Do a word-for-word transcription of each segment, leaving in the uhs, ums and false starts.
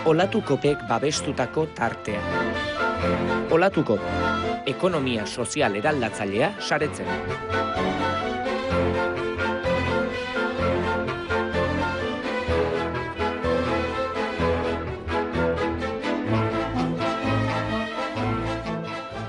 Olatukopek babestutako tartea. Olatukop, ekonomia sozial eraldatzailea saretzen.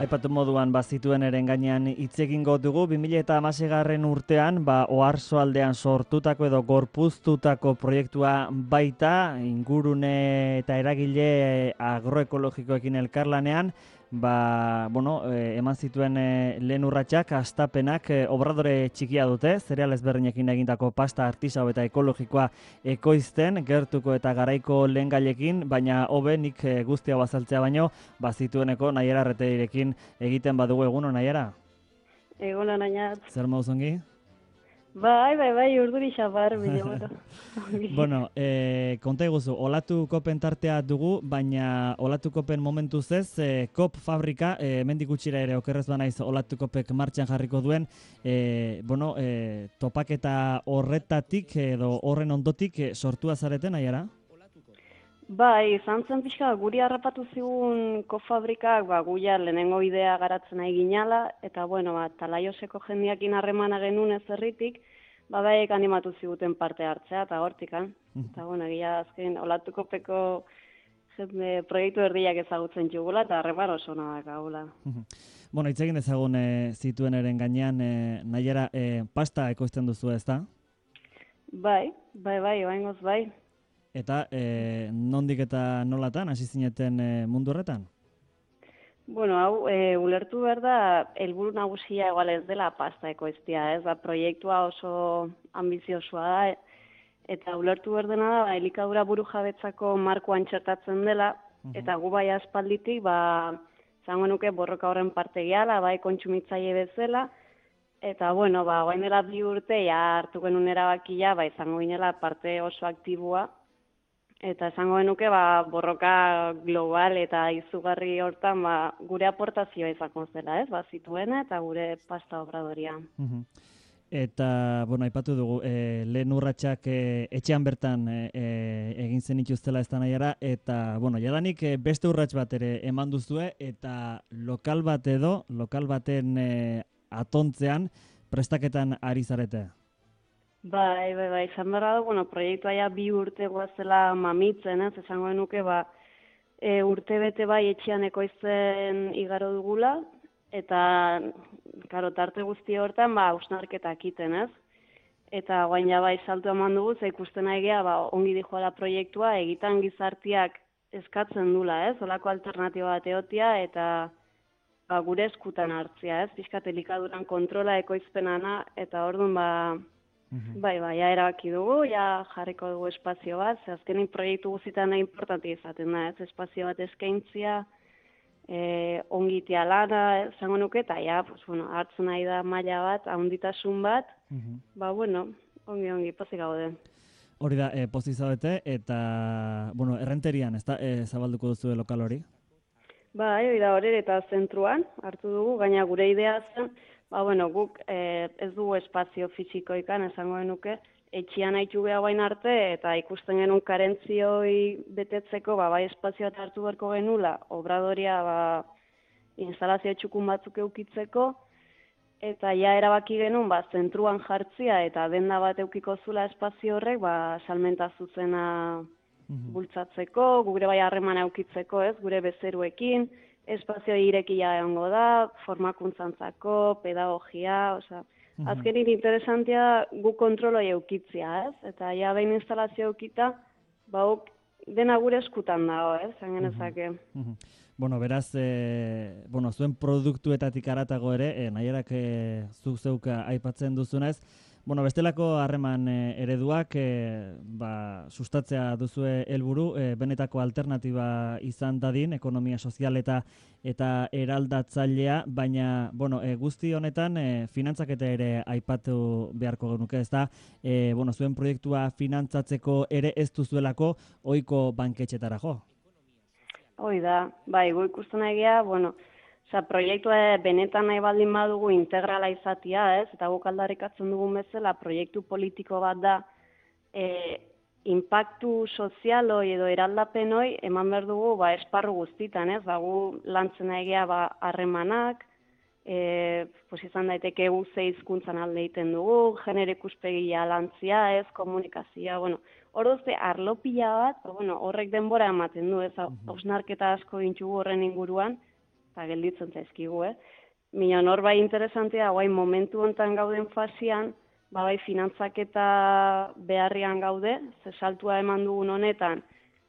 Aipatu moduan bazituen eren gainean hitz egingo dugu, bi mila hamaseigarren urtean ba, Oarsoaldean sortutako edo gorpuztutako proiektua baita, ingurune eta eragile agroekologikoekin elkarlanean, ba, bueno, eh, eman zituen eh, lehen urratsak, hastapenak, eh, obradore txikia dute, zereal ezberdinekin egindako pasta artisau eta ekologikoa ekoizten, gertuko eta garaiko lehen gailekin, baina hobe nik eh, guztia bazaltzea baino, bazitueneko Naiara Arreteirekin egiten badugu. Eguno, Naiara? Eguno, Naiara. Zer mauzongi? Bai, bai, bai, urduri xapar, bilo. Bueno, eh, konta eguzu, Olatukopen tartea dugu, baina Olatukopen momentuz ez, eh, kop fabrika, eh, mendik gutxira ere okerrez banaiz Olatukopek martxan jarriko duen, eh, bueno, eh, topaketa horretatik edo horren ondotik eh, sortua zareten, Naiara? Bai, izan zen pixka, guri harrapatu zigun kofabrikak, ba, guia lehenengo idea garatzen nahi ginala, eta, bueno, ba, Talaioseko jendiakin harremana genuen ez herritik, ba, baiek animatu ziguten parte hartzea, eta hortikan. Eta, bueno, egia azken, Olatukopeko jende proiektu erdiak ezagutzen txugula, eta harreman oso nadak gaula. Bueno, hitz egin dezagun e, zituen eren gainean, e, Naiara, e, pasta ekoizten duzu, ez da? Bai, bai, bai, oaingoz bai. Eta e, nondik eta nolatan hasi zineten e, mundu horretan? Bueno, hau, e, ulertu behar da, helburu nagusia egual ez dela pasta ekoiztia, ez da, proiektua oso ambiziosoa da, eta ulertu behar dena da, ba, elikadura buru jabetzako markoan txertatzen dela, eta gu bai aspalditik, ba, zango nuke borroka horren parte gehala, bai kontsumitzaile bezala, eta, bueno, ba, guain dela bi urte, ja hartu genuen erabakia, ba, izango ginela parte oso aktiboa, eta esango genuke ba, borroka global eta izugarri hortan ba, gure aportazioa izango zela, ez? Ba, zituena eta gure pasta obradoria. Eta, bueno, aipatu dugu, e, lehen urratsak e, etxean bertan e, e, egin zen ituztela ez da Naiara, eta, bueno, jadanik e, beste urrats bat ere eman duzue, eta lokal bat edo, lokal baten e, atontzean prestaketan ari zarete. Bai, bai, bai, izan behar da, bueno, proiektua ja bi urte guazela mamitzen, ez, esango genuke, ba, e, urte bete bai etxean ekoizten igaro dugula, eta, karo, tarte guzti hortan, ba, hausnarketak iten, ez? Eta guain ja bai saltu eman dugu, ze ikusten egea, ba, ongi dijoala proiektua, egitan gizartiak eskatzen dula, ez? Olako alternatiba bat eotia, eta ba, gure eskutan hartzia, ez? Pixkat elikaduran kontrola ekoizpenana, eta orduan, ba, bai, bai, ja erabaki dugu, ja jarriko dugu espazio bat, ze azkenin proiektu guztietan importante izaten da, ez? Espazio bat eskaintzia, e, ongitia lana, zango nuke, eta ja, pues, bueno, hartzen nahi da maila bat, ahonditasun bat, ba, bueno, ongi, ongi, pozik gaude. Hori da, e, pozik zaudete, eta, bueno, errenterian, ez da, e, zabalduko duzu lokal hori? Bai, hori da, hori eta zentruan hartu dugu, gaina gure idea zen, ba, bueno, guk eh, ez dugu espazio fisikoikan, esango genuke, etxian haitu beha bain arte, eta ikusten genuen karentzioi betetzeko, ba, bai espazio bat hartu beharko genula, obradoria, ba, instalazio txukun batzuk eukitzeko, eta ja erabaki genuen, ba, zentruan jartzia, eta denda bat eukiko zula espazio horrek, ba, salmenta zuzena bultzatzeko, gure bai harremana eukitzeko, ez, gure bezeruekin, espazio irekia egongo da, formakuntzantzako, pedagogia, osea, azkenin interesantia gu kontroloi eukitzia, ez? Eta ja behin instalazio eukita, ba, dena gure eskutan dago, ez? Zangen ezake. Bueno, beraz, e, bueno, zuen produktuetatik aratago ere, e, Naierak e, zuk zeuka aipatzen duzunez, bueno, bestelako harreman e, ereduak e, ba, sustatzea duzue helburu, e, benetako alternatiba izan dadin, ekonomia sozial eta eta eraldatzailea, baina bueno, e, guzti honetan e, finantzaketa ere aipatu beharko genuke, ez da, e, bueno, zuen proiektua finantzatzeko ere ez duzuelako ohiko banketxetara jo. Hoi da, bai, gu ikusten egia, bueno, oza, proiektua benetan nahi baldin badugu integrala izatia, ez? Eta guk aldarrikatzen dugun bezala, proiektu politiko bat da, e, inpaktu sozialoi edo eraldapenoi eman behar dugu ba, esparru guztitan, ez? Ba, gu lantzen egea ba, harremanak, e, pues izan daiteke gu ze hizkuntzan alde egiten dugu, genero ikuspegia lantzia, ez, komunikazioa, bueno, hor duzte arlo pila bat, ba, bueno, horrek denbora ematen du, ez, hausnarketa asko gintxugu horren inguruan, eta gelditzen zaizkigu, eh? Minon hor bai interesantea, guai momentu honetan gauden fasian, ba bai finantzaketa beharrian gaude, ze saltua eman dugun honetan,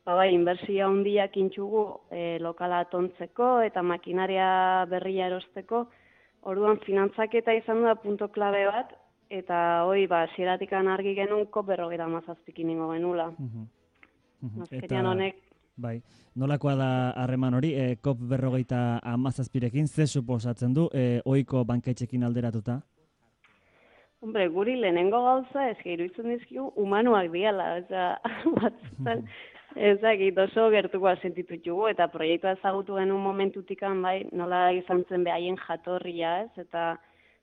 ba bai inbertsioa handiak intxugu e, lokala tontzeko eta makinaria berria erosteko, orduan finantzaketa izan da punto klabe bat, eta hoi ba hasieratik argi genuen kop berrogeita hamazazpikin ingo genula. Uh-huh. Uh-huh. Azkenean honek bai, nolakoa da harreman hori, e, kop berrogeita hamazazpirekin, ze suposatzen du, e, ohiko banketxekin alderatuta? Hombre, guri lehenengo gauza, ez iruditzen dizkigu, humanuak diala, oza, batzutan, ezakit oso gertukoa sentitutugu, eta proiektua ezagutu genuen momentutikan, bai, nola izan zen behaien jatorria, ez, eta,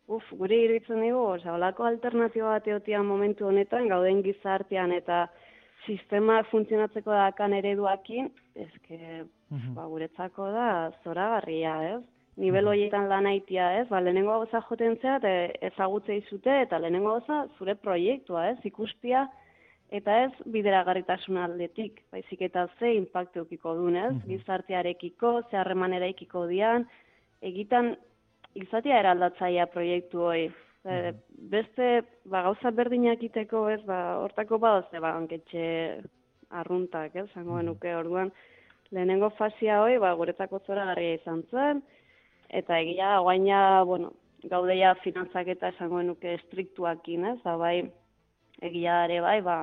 uf, guri iruditzen digu, oza, holako alternatiba bat egotian momentu honetan, gauden gizartean, eta sistema funtzionatzeko dakan ereduakin, ezke, uh-huh. ba, guretzako da zoragarria, ez? Nivel horietan lan aitia, ez? Ba, lehenengo gauza joten zea, ezagutze izute, eta lehenengo gauza zure proiektua, ez? Ikuspia, eta ez bideragarritasun aldetik, baizik eta ze impactu eukiko duen, ez? Uh-huh. Gizartearekiko, ze harreman eraikiko dian, egitan izatea eraldatzaia proiektu hori. Uh-huh. Beste, ba, gauza berdinak iteko, ez? Ba, hortako badozte, ba, hanketxe arruntak, ez? Zango genuke, orduan, lehenengo fasia hori, ba, guretzako zoragarria izan zen, eta egia, guaina, bueno, gaudeia finantzaketa esango genuke estriktuakin, ez? Ba, bai, egia ere bai, ba,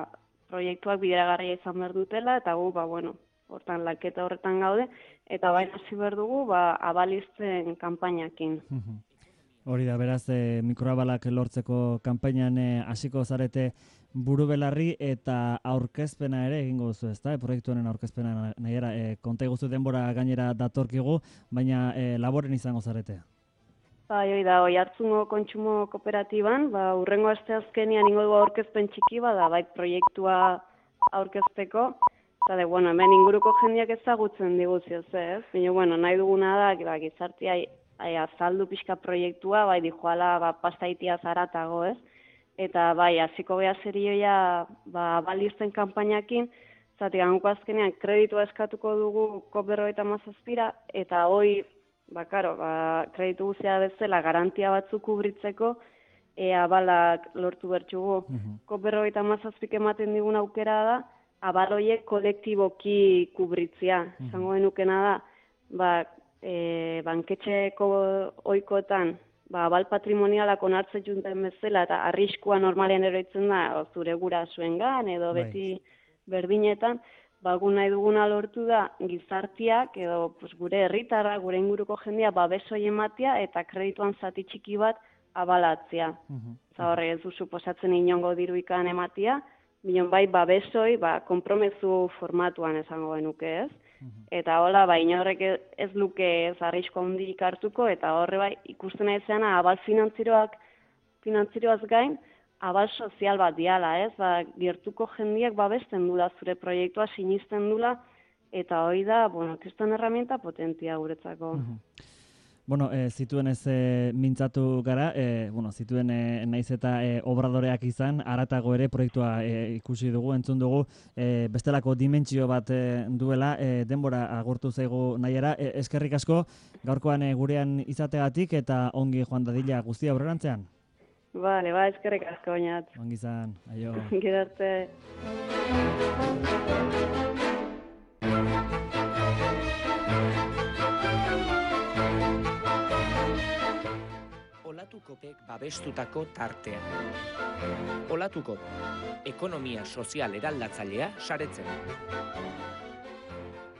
proiektuak bideragarria izan behar dutela, eta gu, ba, bueno, hortan laketa horretan gaude, eta bai hasi behar dugu, ba, abalizten kanpainakin. Hori da, beraz, e, mikroabalak lortzeko kanpainan hasiko e, zarete buru belarri eta aurkezpena ere egingo duzu, ezta? E, proiektu honen aurkezpena nahiera, e, konta iguzu denbora gainera datorkigu, baina e, laboren izango zarete. Bai, hori da, hoi hartzungo kontsumo kooperatiban, ba, urrengo aste azkenian ingo dugu aurkezpen txiki bada, bai proiektua aurkezteko, eta de, bueno, hemen inguruko jendeak ezagutzen diguzio, ez? Baina, bueno, nahi duguna da, ba, gizartia Ai, azaldu pixka proiektua, bai, dijoala, ba, pastaitia zaratago, ez? Eta, bai, hasiko beha serioia, ba, balizten kanpainakin, zati, ganguko azkenean, kreditua eskatuko dugu kop berrogeita hamazazpira, eta hoi, ba, karo, ba, kreditu guztia bezala, garantia batzuk kubritzeko, ea balak lortu bertxugu. Uh-huh. Kop berrogeita hamazazpik ematen digun aukera da, abaloiek kolektiboki kubritzia. Uh-huh. Zango genukena da, ba, E, banketxeko ohikoetan ba, abal patrimonialak onartzen junten bezala eta arriskua normalean eroitzen da zure gurasoengan edo bai. Beti berdinetan, ba, gu nahi duguna lortu da gizartiak edo pues, gure herritarra, gure inguruko jendea babesoi ematea eta kredituan zati txiki bat abalatzea. Uh-huh. Horre ez du suposatzen inongo diruikan ematea, bion bai babesoi ba, konpromezu formatuan esango genuke, ez? Eta hola, ba, inorrek ez luke ez arrisko handik hartuko, eta horre bai, ikusten aizeana, abal finantzieroak, finantzieroaz gain, abal sozial bat diala, ez? Ba, gertuko jendiak babesten dula zure proiektua, sinisten dula, eta hori da, bueno, kriston herramienta potentia guretzako. Uh-huh. Bueno, e, zituen ez e, mintzatu gara, e, bueno, zituen e, naiz eta e, obradoreak izan, haratago ere proiektua e, ikusi dugu, entzun dugu, e, bestelako dimentsio bat e, duela, e, denbora agurtu zaigu nahiera, e, eskerrik asko, gaurkoan e, gurean izategatik eta ongi joan dadila guztia aurrerantzean. Bale, ba, eskerrik asko oinat. Ongi izan, aio. Gerarte. Olatukopek babestutako tartea. Olatukop, ekonomia sozial eraldatzailea saretzen.